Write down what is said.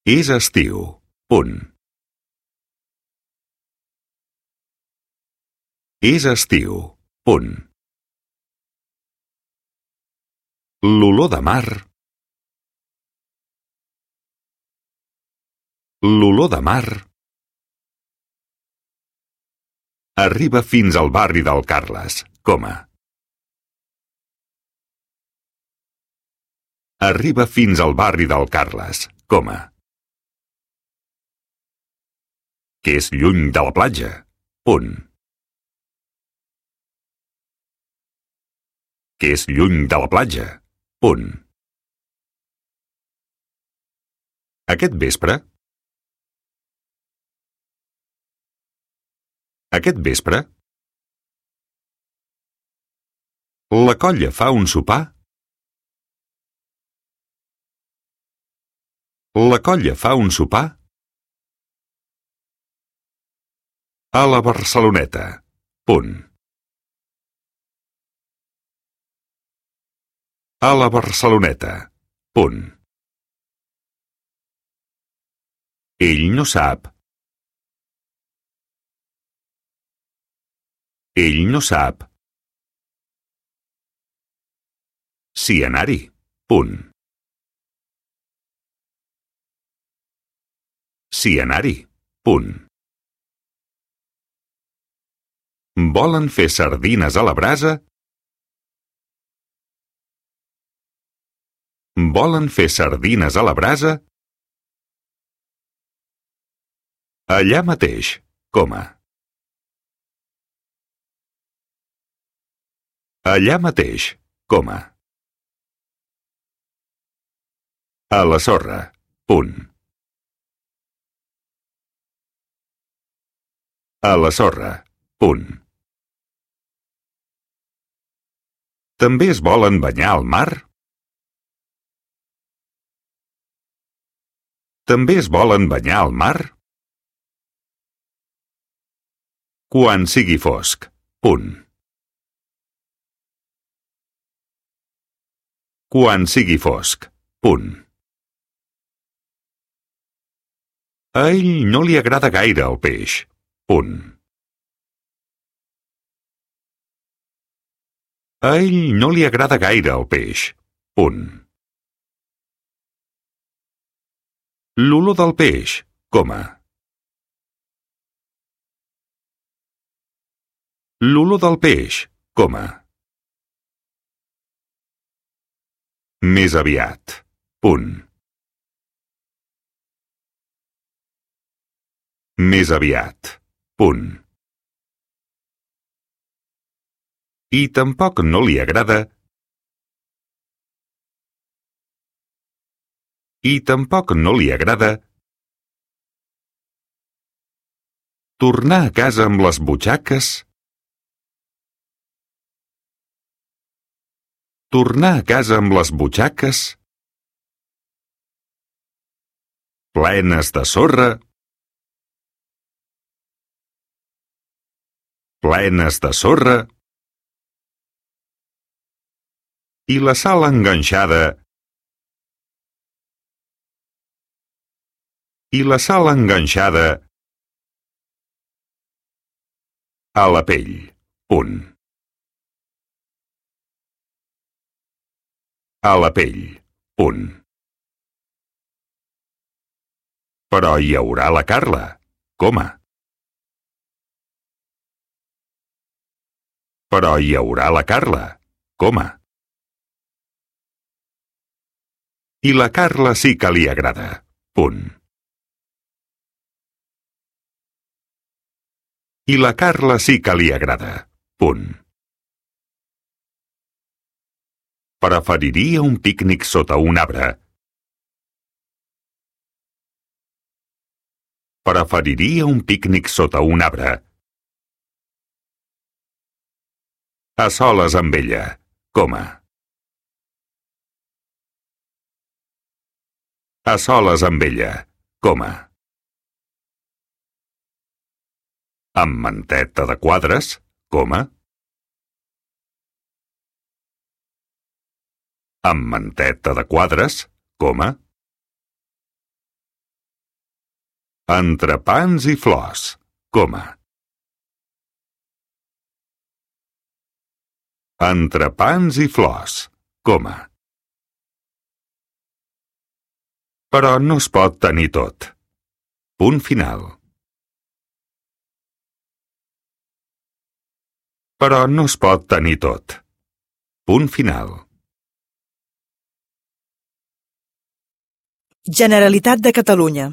És estiu. Punt. És estiu. Punt. L'olor de mar. L'olor de mar arriba fins al barri del Carles, coma. Arriba fins al barri del Carles, coma. Que és lluny de la platja, punt. Que és lluny de la platja, punt. Aquest vespre? Aquest vespre? La colla fa un sopar? La colla fa un sopar? A la Barceloneta, punt. A la Barceloneta, punt. Ell no sap. Ell no sap. Si anar-hi, punt. Si anar-hi, punt. Volen fer sardines a la brasa? Volen fer sardines a la brasa? Allà mateix, coma. Allà mateix, coma. A la sorra, punt. A la sorra, punt. També es volen banyar al mar? També es volen banyar al mar? Quan sigui fosc, punt. Quan sigui fosc, punt. A ell no li agrada gaire el peix, punt. A ell no li agrada gaire el peix, punt. L'olor del peix, coma. L'olor del peix, coma. Més aviat, punt. Més aviat, punt. I tampoc no li agrada. I tampoc no li agrada tornar a casa amb les butxaques. Tornar a casa amb les butxaques plenes de sorra. Plenes de sorra. I la sal enganxada. I la sal enganxada a la pell, punt. A la pell, punt. Però hi haurà la Carla, coma. Però hi haurà la Carla, coma. I la Carla sí que li agrada, punt. I la Carla sí que li agrada, punt. Preferiria un pícnic sota un arbre. Preferiria un pícnic sota un arbre. A soles amb ella, coma. A soles amb ella, coma. Amb manteta de quadres, coma. Amb manteta de quadres, coma. Entrepans i flors, coma. Entrepans i flors, coma. Però no es pot tenir tot. Punt final. Però no es pot tenir tot. Punt final. Generalitat de Catalunya.